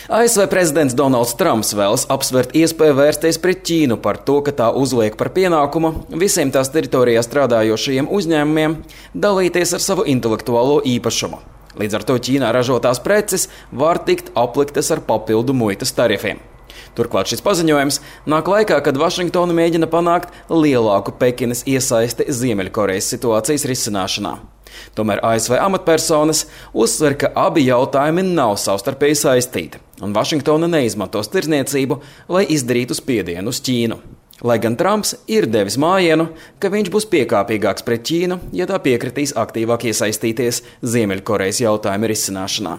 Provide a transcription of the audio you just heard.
ASV prezidents Donalds Trumps vēlas apsvērt iespēju vērsties pret Ķīnu par to, ka tā uzliek par pienākumu visiem tās teritorijā strādājošajiem uzņēmumiem dalīties ar savu intelektuālo īpašumu. Līdz ar to Ķīnā ražotās preces var tikt apliktas ar papildu muitas tarifiem. Turklāt šis paziņojums nāk laikā, kad Vašingtona mēģina panākt lielāku Pekinas iesaisti Ziemeļkorejas situācijas risināšanā. Tomēr ASV amatpersonas uzsver, ka abi jautājumi nav savstarpēji saistīti, un Vašingtona neizmantos tirdzniecību, lai izdarītu spiedienu uz Ķīnu. Lai gan Trumps ir devis mājienu, ka viņš būs piekāpīgāks pret Ķīnu, ja tā piekritīs aktīvāk iesaistīties Ziemeļkorejas jautājuma risināšanā.